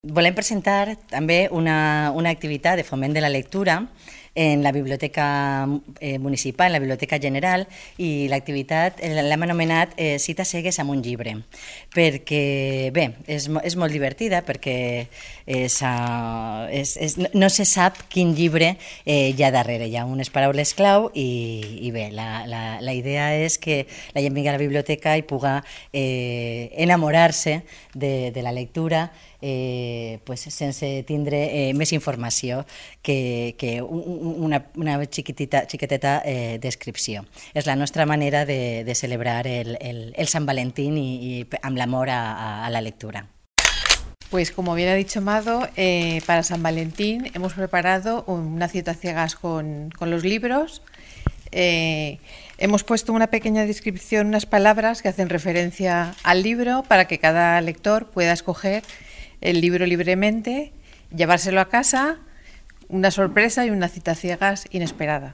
Volem presentar també una activitat de foment de la lectura en la Biblioteca Municipal, en la Biblioteca General, i l'activitat l'hem anomenat Cita cegues amb un llibre, perquè, bé, és molt divertida, perquè no se sap quin llibre hi ha darrere, hi ha unes paraules clau i bé, la idea és que la gent vingui a la biblioteca i pugui enamorar-se de la lectura pues, sense tindre més informació que una xiqueteta descripció. És la nostra manera de celebrar el Sant Valentín y amb l'amor a la lectura. Pues como bien ha dicho Mado, para San Valentín hemos preparado una cita ciegas con los libros. Hemos puesto una pequeña descripción, unas palabras que hacen referencia al libro para que cada lector pueda escoger el libro libremente, llevárselo a casa, una sorpresa y una cita ciegas inesperada.